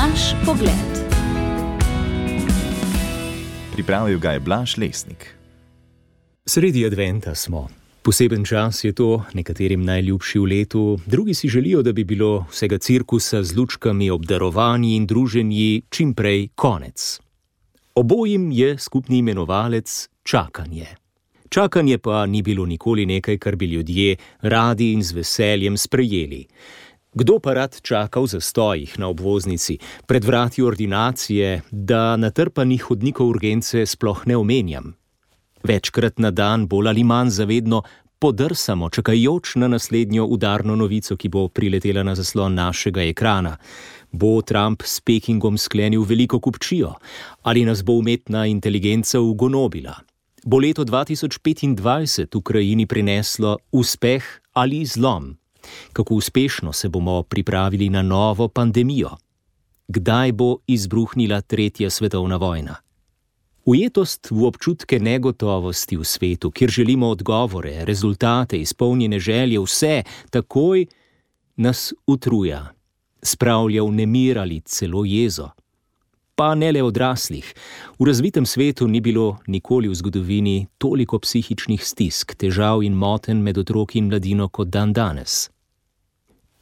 Naš pogled. Pripravil ga je Blaž Lesnik. Sredi adventa smo. Poseben čas je to, nekaterim najljubši v letu, drugi si želijo, da bi bilo vsega cirkusa z lučkami, obdarovanji in druženji čim prej konec. Obojim je skupni imenovalec čakanje. Čakanje pa ni bilo nikoli nekaj, kar bi ljudje radi in z veseljem sprejeli. Kdo pa rad čaka v zastojih na obvoznici, pred vrati ordinacije, da natrpanih hodnikov urgence sploh ne omenjam? Večkrat na dan, bolj ali manj zavedno, podrsamo, čakajoč na naslednjo udarno novico, ki bo priletela na zaslon našega ekrana. Bo Trump s Pekingom sklenil veliko kupčijo? Ali nas bo umetna inteligenca ugonobila? Bo leto 2025 Ukrajini prineslo uspeh ali zlom? Kako uspešno se bomo pripravili na novo pandemijo? Kdaj bo izbruhnila tretja svetovna vojna? Ujetost v občutke negotovosti v svetu, kjer želimo odgovore, rezultate, izpolnjene želje, vse takoj, nas utruja, spravlja v nemir ali celo jezo. Pa ne le odraslih. V razvitem svetu ni bilo nikoli v zgodovini toliko psihičnih stisk, težav in motenj med otroki in mladino kot danes.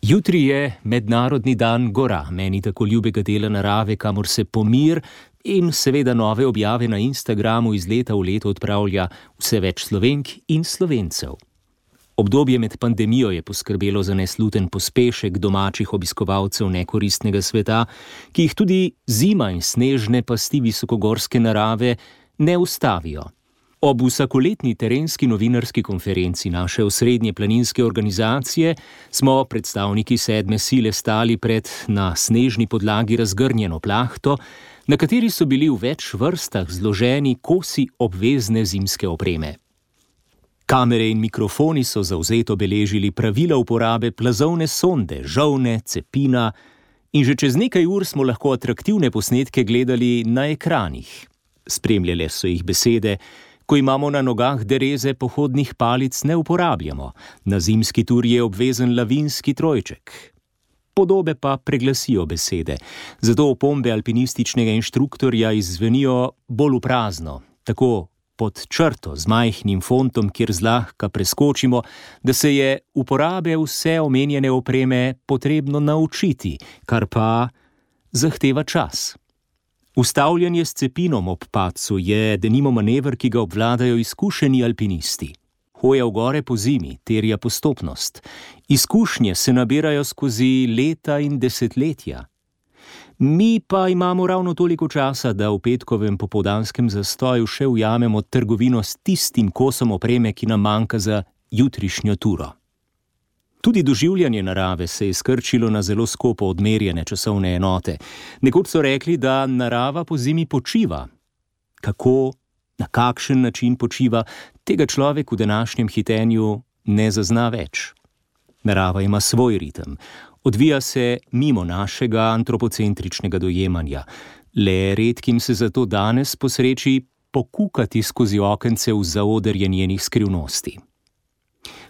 Jutri je mednarodni dan gora, meni tako ljubega dela narave, kamor se pomir in seveda nove objave na Instagramu iz leta v leto odpravlja vse več Slovenk in Slovencev. Obdobje med pandemijo je poskrbelo za nesluten pospešek domačih obiskovalcev nekoristnega sveta, ki jih tudi zima in snežne pasti visokogorske narave ne ustavijo. Ob vsakoletni terenski novinarski konferenci naše osrednje planinske organizacije smo predstavniki sedme sile stali pred na snežni podlagi razgrnjeno plahto, na kateri so bili v več vrstah zloženi kosi obvezne zimske opreme. Kamere in mikrofoni so zavzeto beležili pravila uporabe plazovne sonde, žolne, cepina in že čez nekaj ur smo lahko atraktivne posnetke gledali na ekranih. Spremljale so jih besede: ko imamo na nogah dereze, pohodnih palic ne uporabljamo, na zimski tur je obvezen lavinski trojček. Podobe pa preglasijo besede, zato opombe alpinističnega inštruktorja izzvenijo bolj v prazno, tako pod črto z majhnim fontom, kjer zlahka preskočimo, da se je uporabe vse omenjene opreme potrebno naučiti, kar pa zahteva čas. Ustavljanje s cepinom ob padcu je denimo manever, ki ga obvladajo izkušeni alpinisti. Hoja v gore po zimi terja postopnost. Izkušnje se nabirajo skozi leta in desetletja. Mi pa imamo ravno toliko časa, da v petkovem popoldanskem zastoju še ujamemo trgovino s tistim kosom opreme, ki nam manjka za jutrišnjo turo. Tudi doživljanje narave se je skrčilo na zelo skopo odmerjene časovne enote. Nekoč so rekli, da narava po zimi počiva. Kako, na kakšen način počiva, tega človek v današnjem hitenju ne zazna več. Narava ima svoj ritem. Odvija se mimo našega antropocentričnega dojemanja. Le redkim se zato danes posreči pokukati skozi okence v zaodrje njenih skrivnosti.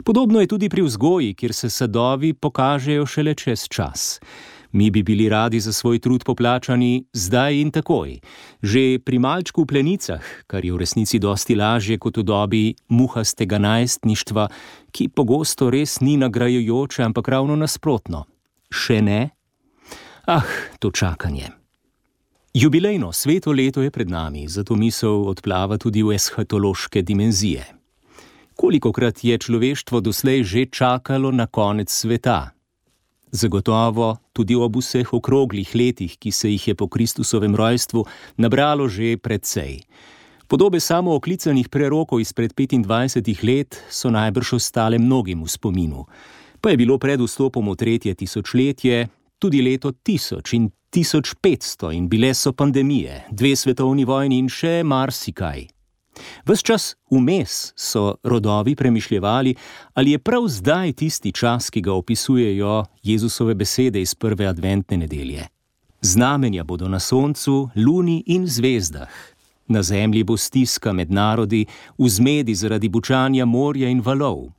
Podobno je tudi pri vzgoji, kjer se sadovi pokažejo šele čez čas. Mi bi bili radi za svoj trud poplačani zdaj in takoj. Že pri malčku v plenicah, kar je v resnici dosti lažje kot v dobi muhastega najstništva, ki pogosto res ni nagrajujoče, ampak ravno nasprotno. Še ne? To čakanje. Jubilejno sveto leto je pred nami, zato misel odplava tudi v eshatološke dimenzije. Kolikokrat je človeštvo doslej že čakalo na konec sveta? Zagotovo tudi ob vseh okroglih letih, ki se jih je po Kristusovem rojstvu nabralo že precej. Podobe samooklicanih prerokov izpred 25 let so najbrž ostale mnogim v spominu. Pa je bilo pred vstopom v tretje tisočletje tudi leto 1000 in 1500 in bile so pandemije, 2 svetovni vojni in še marsikaj. Ves čas vmes so rodovi premišljevali, ali je prav zdaj tisti čas, ki ga opisujejo Jezusove besede iz prve adventne nedelje. Znamenja bodo na soncu, luni in zvezdah. Na zemlji bo stiska med narodi, v zmedi zaradi bučanja morja in valov.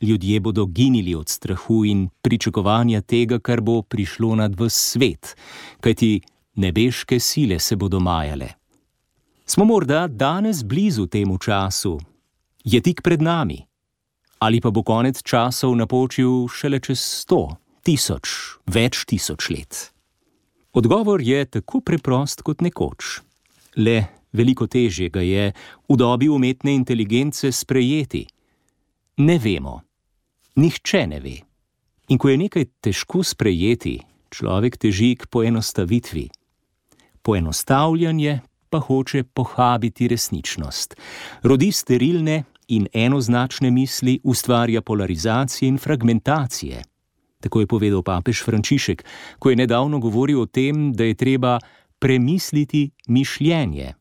Ljudje bodo ginili od strahu in pričakovanja tega, kar bo prišlo nad ves svet, kajti nebeške sile se bodo majale. Smo morda danes blizu temu času? Je tik pred nami? Ali pa bo konec časov napočil šele čez 100, 1000, več tisoč let? Odgovor je tako preprost kot nekoč. Le veliko težje ga je v dobi umetne inteligence sprejeti. Ne vemo. Nihče ne ve. In ko je nekaj težko sprejeti, človek teži k poenostavitvi. Poenostavljanje pa hoče pohabiti resničnost. Rodi sterilne in enoznačne misli, ustvarja polarizacije in fragmentacije. Tako je povedal papež Frančišek, ko je nedavno govoril o tem, da je treba premisliti mišljenje.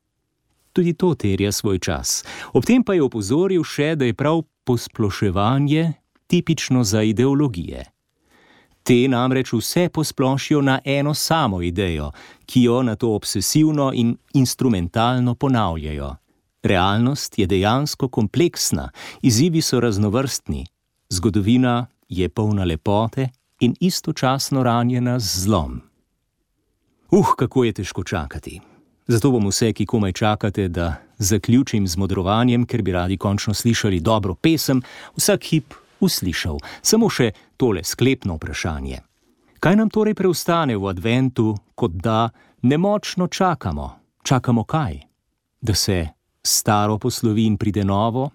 Tudi to terja svoj čas. Ob tem pa je opozoril še, da je prav posploševanje tipično za ideologije. Te namreč vse posplošijo na eno samo idejo, ki jo nato obsesivno in instrumentalno ponavljajo. Realnost je dejansko kompleksna, izzivi so raznovrstni, zgodovina je polna lepote in istočasno ranjena z zlom. Kako je težko čakati. Zato bom vse, ki komaj čakate, da zaključim z modrovanjem, ker bi radi končno slišali dobro pesem, vsak hip uslišal. Samo še tole sklepno vprašanje. Kaj nam torej preostane v adventu, kot da nemočno čakamo? Čakamo kaj? Da se staro poslovi in pride novo?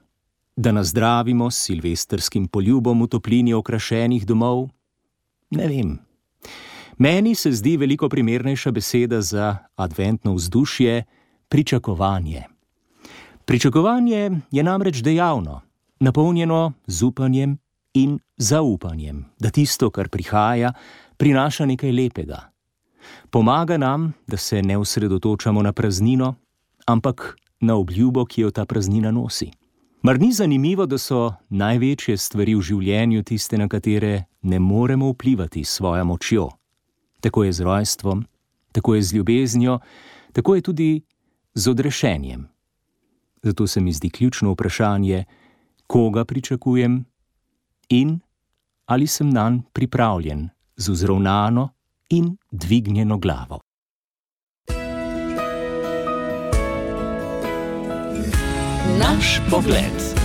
Da nazdravimo s silvestrskim poljubom v toplini okrašenih domov? Ne vem. Meni se zdi veliko primernejša beseda za adventno vzdušje pričakovanje. Pričakovanje je namreč dejavno, napolnjeno z upanjem in zaupanjem, da tisto, kar prihaja, prinaša nekaj lepega. Pomaga nam, da se ne osredotočamo na praznino, ampak na obljubo, ki jo ta praznina nosi. Mar ni zanimivo, da so največje stvari v življenju tiste, na katere ne moremo vplivati s svojo močjo? Tako je z rojstvom, tako je z ljubeznijo, tako je tudi z odrešenjem. Zato se mi zdi ključno vprašanje, koga pričakujem in ali sem nanj pripravljen z vzravnano in dvignjeno glavo. Naš pogled.